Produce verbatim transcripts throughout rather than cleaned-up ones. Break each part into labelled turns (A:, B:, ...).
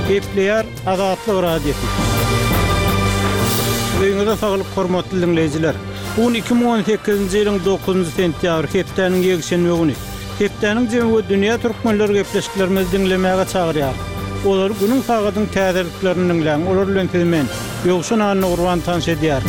A: Gepleýär Azatlyk Radiosy. Öýüňize saglyk hormatly diňleýjiler. Bu gün iki müň on sekizinji ýylyň dokuzynjy sentýabr, hepdäniň ýekşenbe güni. Hepdäniň jemi we dünýä türkmenleri gepleşiklerimizi diňlemäge çagyrýar. Olary günüň sagadyň täzeliklerini diňläň. Olar bilen sizi men, Ýowşan Annagurban tanyş edýär.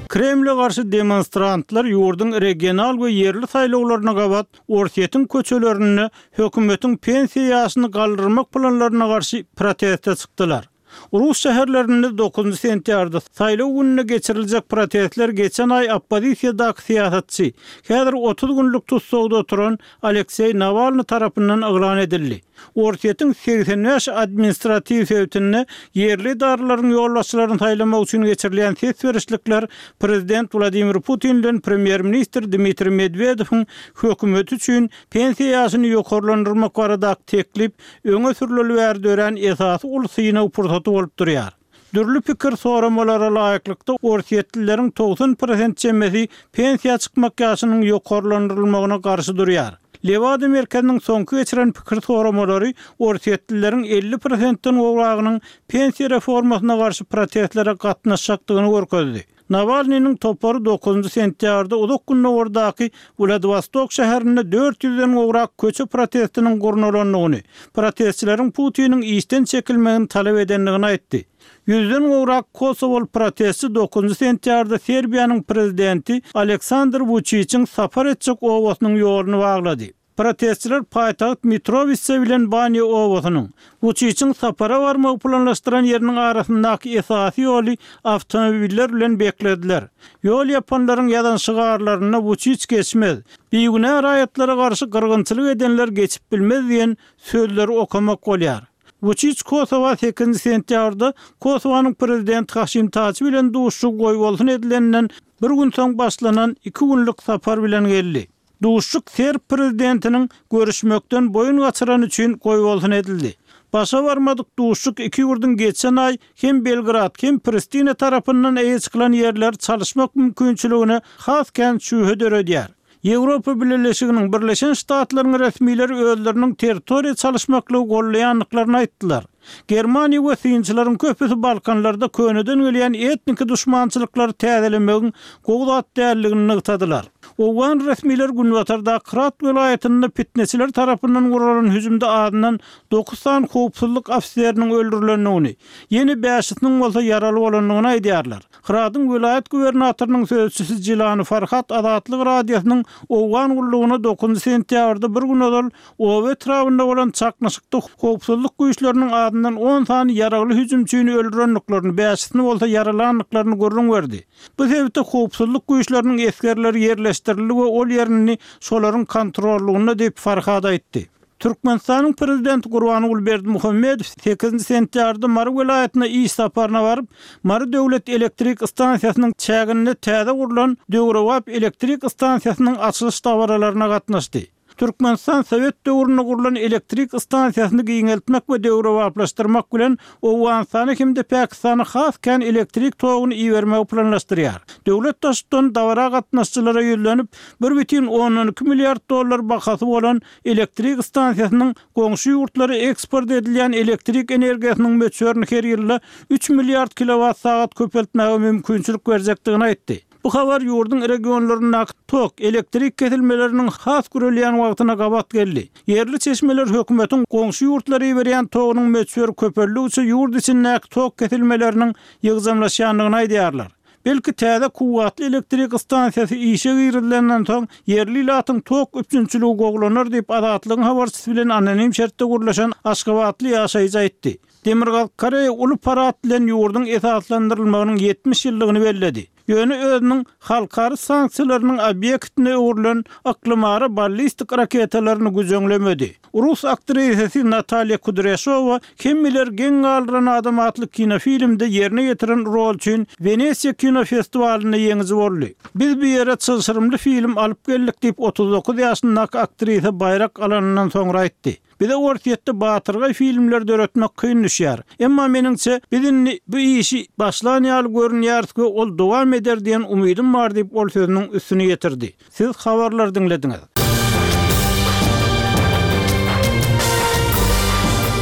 A: Kremle garşy demonstrantlar ýurduň regional we ýerli saýlawlaryna gabat Orsýetiň köçelerinde hökümetiň pensiýa ýaşyny galdyrmak planlaryna garşy proteste çykdylar. Rus şäherlerinde dokuzynjy sentýabrda saýlaw gününde geçiriljek protestler geçen aý oppozisiýadaky syýasatçy, häzir otuz günlük tussagda oturan Alekseý Nawalny tarapyndan yglan edildi. Orsýetiň segsen bäş administratiw sebitinde ýerli edaralaryň ýolbaşçylaryny saýlamak üçin geçirilýän ses berişlikler prezident Wladimir Putin bilen premýer-ministr Dmitriý Medwedewiň hökümeti üçin pensiýa ýaşyny ýokarlandyrmak baradaky teklip öňe sürüleli bäri dörän esasy uly synag pursaty bolup durýar. Dürli pikir soramalara laýyklykda orsýetlileriň togsan prosent çemesi pensiýa çykmak ýaşynyň ýokarlandyrylmagyna garşy durýar. Lewada merkeziniň soňky geçiren pikir soramalary orsýetlileriň elli prosentden gowragynyň pensiýa reformasyna garşy protestlere gatnaşjakdygyny görkezdi. Nawalnynyň topary dokuzynjy sentýabrda uzak gündogardaky Wladivostok şäherinde dört ýüzden gowrak köçe protestiniň gurnalandygyny, protestçileriň Putiniň işden çekilmegini talap edendigini aýtdy. Ýüzden gowrak kosowaly protestçi dokuzynjy sentýabrda Serbiýanyň prezidenti Aleksandr Wuçiçiň sapar etjek obasynyň ýoluny baglady. Protestçiler paýtagt Mitrowitsa bilen Banýa obasynyň, Wuçiçiň sapara barmagy planlaşdyran ýeriniň arasyndaky esasy ýoly awtomobiller bilen beklediler. Ýol ýapanlaryň ýazan şygarlarynda Wuçiç geçmez, bigünä raýatlara garşy gyrgynçylyk edenler geçip bilmez diýen sözleri okamak bolýar. Wuçiç Kosowa sekizinji sentýabrda Kosowanyň prezidenti Haşim Taçi bilen duşuşygy goýbolsun edilenden bir gün soň başlanan iki günlük sapar bilen geldi. Duşuşyk serb prezidentiniň görüşmekden boýun gaçyrany üçin goýbolsun edildi. Başa barmadyk duşuşyk iki ýurduň geçen aý hem Belgrad, hem Pristina tarapyndan eýe çykylan ýerleri çalyşmak mümkinçiligine has kän şübhe döredýär. Ýewropa Bileleşiginiň Birleşen Ştatlaryň resmileri özleriniň territoriýa çalyşmaklygy gollaýandyklaryny aýtdylar. Germaniýa we synçylaryň köpüsi Balkanlarda köneden gelýän etniki duşmançylyklary täzelemegiň gowy zat däldigini nygtadylar. Owgan resmileri Günbatardaky Hyrat welaýatynda pitneçiler tarapyndan guralan hüjümde azyndan dokuz sany howpsuzlyk ofiseriniň öldürilendigini, ýene bäşisiniň bolsa ýaraly bolandygyny aýdýarlar. Hyradyň welaýat gubernatorynyň sözçüsi Jilany Farhat Azatlyk Radiosynyň Owgan gullugyna dokuzynjy sentýabrda bir gün ozal oba etrabynda bolan çaknyşykda howpsuzlyk güýçleriniň azyndan on sany ýaragly hüjümçini öldürendiklerini, bäşisini bolsa ýaralandyklaryny gürrüň berdi. Bu sebitde howpsuzlyk güýçleriniň esgerleri ýerleşdirildi we ol ýerini şolaryň kontrollugynda diýip Farhat aýtdy. Türkmenistanyň prezidenti Gurbanguly Berdimuhamedow sekizinji sentýabrda Mary welaýatyna iş saparyna baryp, Mary döwlet elektrik stansiýasynyň çäginde täze gurlan döwrebap elektrik stansiýasynyň açylyş dabaralaryna gatnaşdy. Türkmenistan Sowet döwründe gurlan elektrik stansiýasyny giňeltmek we döwrebaplaşdyrmak bilen Owganystana hem-de Pakistana has kän elektrik toguny ibermegi planlaşdyrýar. Döwlet Baştutany dabara gatnaşyjylara ýüzlenip, bir bütin ondan iki milliard dollar bahasy bolan elektrik stansiýasynyň goňşy ýurtlara eksport edilýän elektrik energiýasynyň möçberini her ýylda üç milliard kilowat sagat köpeltmäge mümkinçilik berjekdigini aýtdy. Bu habar ýurduň regionlaryndaky tok, elektrik kesilmeleriniň has gürelýän wagtyna gabat geldi. Ýerli çeşmeler hökümetiň goňşy ýurtlara iberýän togunyň möçberi köpeldigiçe ýurt içindäki tok kesilmeleriniň ýygjamlaşýandygyny aýdýarlar. Belki täze kuwwatly elektrik stansiýasy işe girizilenden soň ýerli ilatyň tok üpjünçiligi gowlanar diýip Azatlygyň habarçysy bilen anonim şertde gürleşen aşgabatly ýaşaýjy aýtdy. Demirgazyk Koreýa uly parad bilen ýurduň esaslandyrylmagynyň ýetmiş ýyllygyny belledi. Ýöne özüniň halkara sanksiýalarynyň obýektine öwrülen yklymara ballistik raketalaryny güjeňlemedi. Rus aktrisasy Natalýa Kudrýaşowa Hemmeler geň galdyran adam atly kinofilmde ýerine ýetiren rol üçin Wenesiýa kinofestiwalynda ýeňiji boldy. Biz bu ýere çylşyrymly film alyp geldik diýip otuz dokuz ýaşyndaky aktrisa baýrak alanyndan soňra aýtdy. Bize Orsýetde batyrgaý filmler döretmek kyn düşýär. Emma meniňçe, biz indi bu işi başlan ýaly görünýäris we ol dowam eder diýen umydym bar diýip, ol sözüniň üstüni ýetirdi. Siz habarlary diňlediňiz.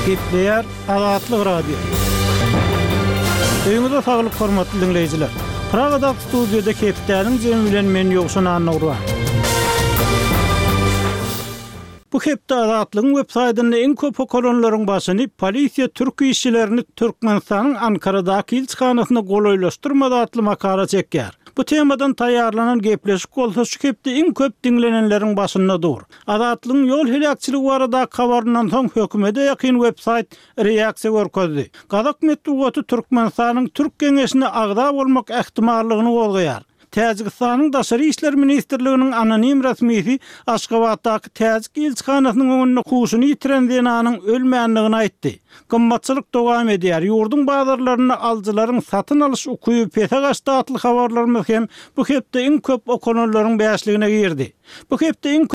A: Gepleýär Azatlyk Radiosy. Öýüňize saglyk hormatly diňleýjiler. Pragadaky studiýada hepdäniň jemi bilen men Ýowşan Annagurban. Bu hepde Azatlygyň web saýtynda iň köp okalanlaryň başyny polisiýa türk işçilerini Türkmenistanyň Ankaradaky ilçihanasyna golaýlaşdyrmady atly makala çekýär. Bu temadan taýýarlanan gepleşik bolsa şu hepde iň köp diňlenenleriň başynda dur. Azatlygyň ýol heläkçiligi baradaky habaryndan soň hökümete ýakyn web saýt reaksiýa görkezdi. Gazak metbugaty Türkmenistanyň Türk geňeşine agza bolmak ähtimallygyny gozgaýar. Täjigistanyň Daşary işler ministrliginiň anonim resmisi Aşgabatdaky täjik ilçihanasynyň öňünde huşuny ýitiren zenanyň ölmändigini aýtdy. Gymmatçylyk dowam edýär. Ýurduň bazarlarynda alyjylaryň satyn alyş ukyby pese gaçdy atly habarlarymyz hem bu hepde iň köp okalanlaryň bäşligine girdi. Bu hepde iň